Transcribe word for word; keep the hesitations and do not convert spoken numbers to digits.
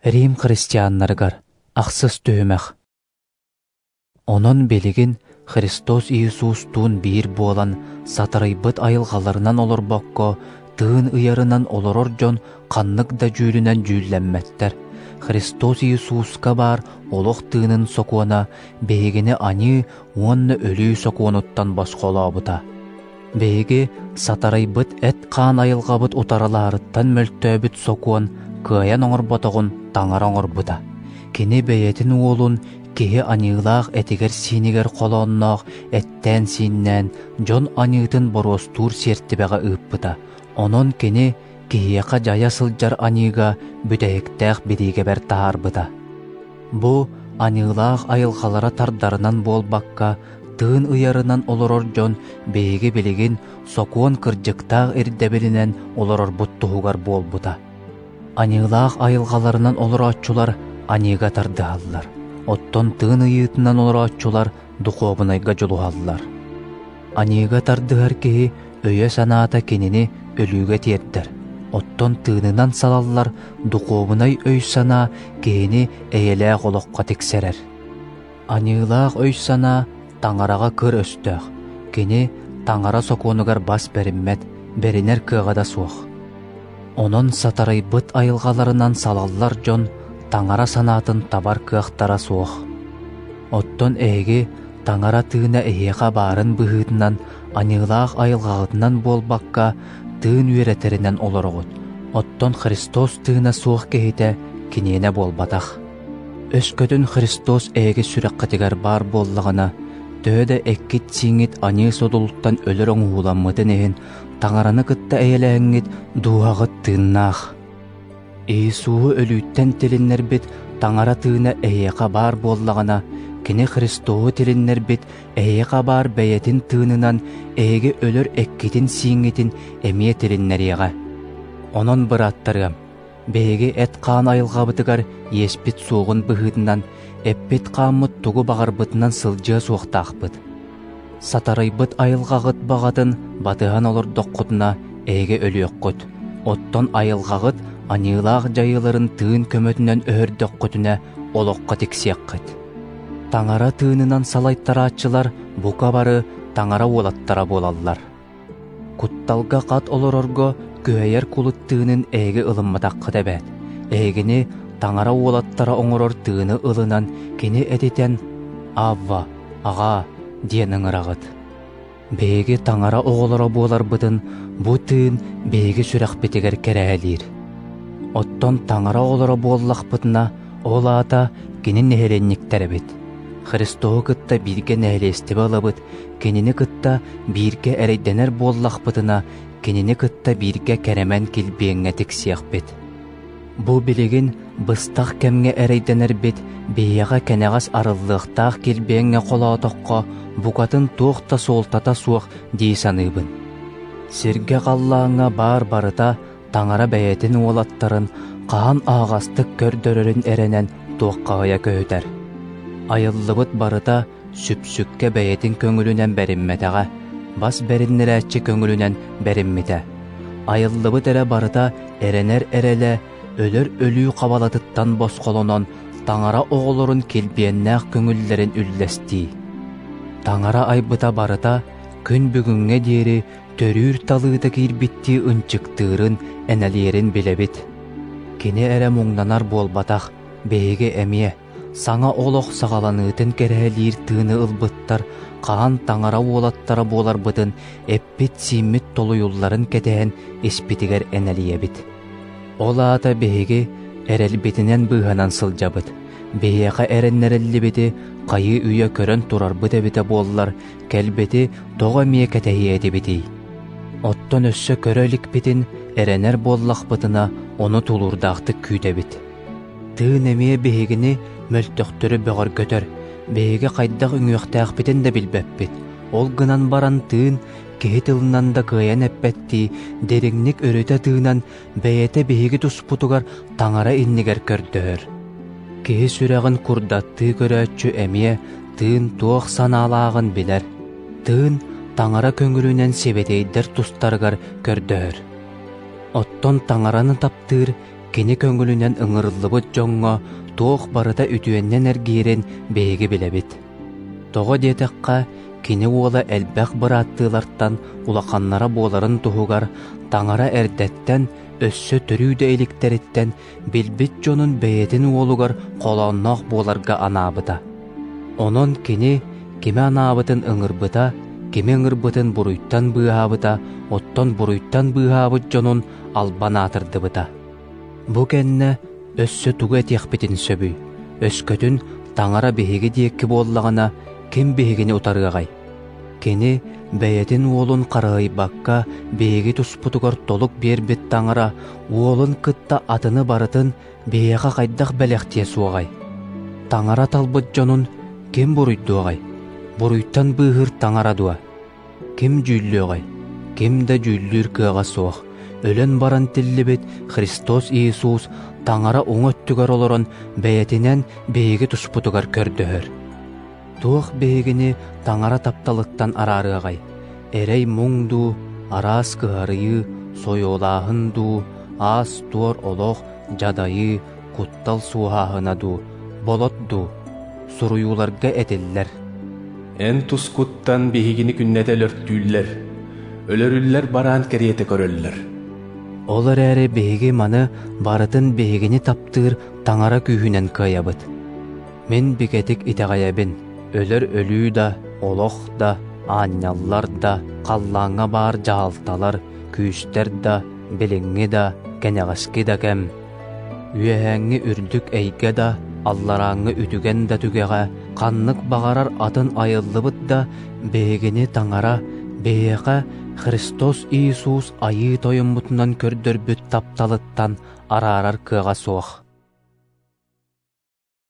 Рим христианнарыгар ахсыс түһүмэх. Онон билигин Христос Иисустуун биир буолан сатарыйбыт айылҕаларынан олорбокко, тыын ыйарынан олорор дьон ханнык да дьүүлүнэн дьүүллэммэттэр. Христос Иисуска баар олох тыынын сокуона биһигини аньыы уонна өлүү сокуонуттан босхолообута. Биһиги сатарыйбыт эт-хаан айылҕабыт утарылаһарыттан мөлтөөбүт сокуон кыайан оҥорботоҕун Таҥара оҥорбута. Кини бэйэтин уолун киһи аньыылаах этигэр-сиинигэр холоонноох эттээн-сииннээн дьон аньыытын боруостуур сиэртибэҕэ ыыппыта. Онон кини киһиэхэ дьайа сылдьар аньыыга бүтэһиктээх бириигэбэр таһаарбыта. Бу аньыылаах айылҕалара тардарынан буолбакка, тыын ыйарынан олорор дьон биһиги билигин сокуон кырдьыктаах ирдэбилинэн олорорбут туһугар буолбута. Аньыылаах айылҕаларынан олорооччулар аньыыга тардыһаллар, оттон тыын ыйыытынан олорооччулар духуобунайга дьулуһаллар. Аньыыга тардыһар киһи өйө-санаата кинини өлүүгэ тиэрдэр, оттон тыынынан салаллар духуобунай өй-санаа киһини эйэлээх олоххо тиксэрэр. Аньыылаах өй-санаа Таҥараҕа кыр өстөөх, кини Таҥара сокуонугар бас бэриммэт, бэринэр кыаҕа да суох. Онон сатарыйбыт айылҕаларынан салаллар дьон Таҥара санаатын табар кыахтара суох. Оттон эһиги Таҥара тыына эһиэхэ баарын быһыытынан аньыылаах айылҕаҕытынан буолбакка, тыын үөрэтэринэн олороҕут. Оттон Христос тыына суох киһитэ киниэнэ буолбатах. Өскөтүн Христос эһиги сүрэххитигэр баар буоллаҕына, төһө да эккит-сииҥҥит аньыы содулуттан өлөр оҥоһууламмытын иһин, Таҥараны кытта эйэлээҥҥит дууһаҕыт тыыннаах. Иисуһу өлүүттэн тилиннэрбит Таҥара тыына эһиэхэ баар буоллаҕына, кини Христоһу тилиннэрбит эһиэхэ баар бэйэтин тыынынан эһиги өлөр эккитин-сииҥҥитин эмиэ тилиннэриэҕэ. Онон, бырааттарыам, биһиги эт-хаан айылҕабытыгар иэспит суоҕун быһыытынан, эппит-хааммыт тугу баҕарбытынан сылдьыа суохтаахпыт. Сатарыйбыт айылҕаҕыт баҕатын батыһан олордоххутуна эһиги өлүөххүт, оттон айылҕаҕыт аньыылаах дьайыыларын тыын көмөтүнэн өһөрдөххүтүнэ олоххо тиксиэххит. Таҥара тыынынан салайтарааччылар бука бары Таҥара уолаттара буолаллар. Кутталга хат олорорго күһэйэр кулут тыынын эһиги ылымматаххыт эбээт. Эһигини Таҥара уолаттара оҥорор тыыны ылынан кини этитэн «Авва, аҕаа» диэн ыҥыраҕыт. Биһиги Таҥара оҕолоро буоларбытын бу тыын биһиги сүрэхпитигэр кэрэһэлиир. Оттон Таҥара оҕолоро буоллахпытына, ол аата кини нэһилиэнньиктэрэбит. Христоһу кытта бииргэ нэһилиэстибэ ылабыт, кинини кытта бииргэ эрэйдэнэр буоллахпытына, кинини кытта бииргэ кэрэмэн килбиэҥҥэ тиксиэхпит. Бу билигин быстах кэмҥэ эрэйдэнэрбит биһиэхэ кэнэҕэс арыллыахтаах килбиэҥҥэ холоотоххо букатын туох да суолтата суох дии саныыбын. Сиргэ халлааҥҥа баар барыта Таҥара бэйэтин уолаттарын хаһан аһаҕастык көрдөрөрүн эрэнэн туоххаһыйа көһүтэр. Айыллыбыт барыта сүпсүккэ бэйэтин көҥүлүнэн бэриммэтэҕэ, бас бэриннэрээччи көҥүлүнэн бэриммитэ. Айыллыбыт эрэ барыта эрэнэр эрэлэ, өлөр өлүү хабалатыттан босхолонон Таҥара оҕолорун килбиэннээх көҥүллэрин үллэстии. Таҥара айбыта барыта күн бүгүҥҥэ диэри төрүүр талыыта киирбиттии ынчыктыырын, энэлиэрин билэбит. Кини эрэ муҥнанар буолбатах, биһиги эмиэ саҥа олох саҕаланыытын кэрэһэлиир тыыны ылбыттар хаһан Таҥара уолаттара буоларбытын эппит-сииммит толуйулларын кэтэһэн испитигэр энэлийэбит. Ол аата биһиги эрэлбитинэн быыһанан сылдьабыт. Биһиэхэ эрэннэриллибити хайыы үйэ көрөн турарбыт эбитэ буоллар, кэлбити тоҕо эмиэ кэтэһиэ этибитий? Оттон өссө көрө иликпитин эрэнэр буоллахпытына, ону тулуурдаахтык күүтэбит. Тыын эмиэ биһигини мөлтөхтөрү бөҕөргөтөр, биһиги хайдах үҥүөхтээхпитин да билбэппит. Ол гынан баран тыын киһи тылынан да кыайан эппэттии, дириҥник өрүтэ тыынан бэйэтэ биһиги туспутугар Таҥара иннигэр көрдөһөр. Киһи сүрэҕин курдаттыы көрөөччү эмиэ тыын туох санаалааҕын билэр. Тыын Таҥара көҥүлүнэн сибэтиэйдэр тустарыгар көрдөһөр. Оттон Таҥараны таптыыр Кини көҥүлүнэн ыҥырыллыбыт дьоҥҥо туох барыта үтүөннэн эргийэрин биһиги билэбит. Тоҕо диэтэххэ, Кини уола элбэх бырааттыылартан улаханнара буоларын туһугар Таҥара эрдэттэн өссө төрүү да иликтэриттэн билбит дьонун бэйэтин уолугар холоонноох буоларга анаабыта. Онон Кини кими анаабытын ыҥырбыта, кими ыҥырбытын буруйтан быыһаабыта, оттон буруйтан быыһаабыт дьонун албан аатырдыбыта. Бу кэннэ өссө тугу этиэхпитин сөбүй? Өскөтүн Таҥара биһиги диэки буоллаҕына, ким биһигини утарыаҕай? Кини бэйэтин уолун харыһыйбакка биһиги туспутугар толук биэрбит Таҥара уолун кытта атыны барытын биһиэхэ хайдах бэлэхтиэ суоҕай? Таҥара талбыт дьонун ким буруйдуоҕай? Буруйтан быыһыыр Таҥара дуо? Ким дьүүллүөҕэй? Ким да дьүүллүүр кыаҕа суох. Өлөн баран тиллибит Христос Иисус Таҥара уҥа өттүгэр олорон бэйэтинэн биһиги туспутугар көрдөһөр. Туох биһигини Таҥара тапталыттан араарыаҕай? Эрэй-муҥ дуу, араас кыһарыйыы, сойуолааһын дуу, аас-туор олох, дьадайыы, куттал суоһааһына дуу, болот дуу? Суруйууларга этиллэр: Эн тускуттан биһигини күннэтэ өлөртүүллэр, өлөрүллэр бараан кэриэтэ көрөллөр. Ол эрээри биһиги маны барытын биһигини таптыыр Таҥара күүһүнэн кыайабыт. Мин бигэтик итэҕэйэбин, өлөр өлүү да, олох да, аанньаллар да, халлааҥҥа баар дьаһалталар, күүстэр да, билиҥҥи да, кэнэҕэски да кэм, үөһээҥҥи үрдүк эйгэ да, алларааҥҥы үтүгэн да түгэҕэ, ханнык баҕарар атын айыллыбыт да биһигини Таҥара биһиэхэ Христос Иисус Айыы Тойоммутунан көрдөрбүт тапталыттан араарар кыаҕа суох.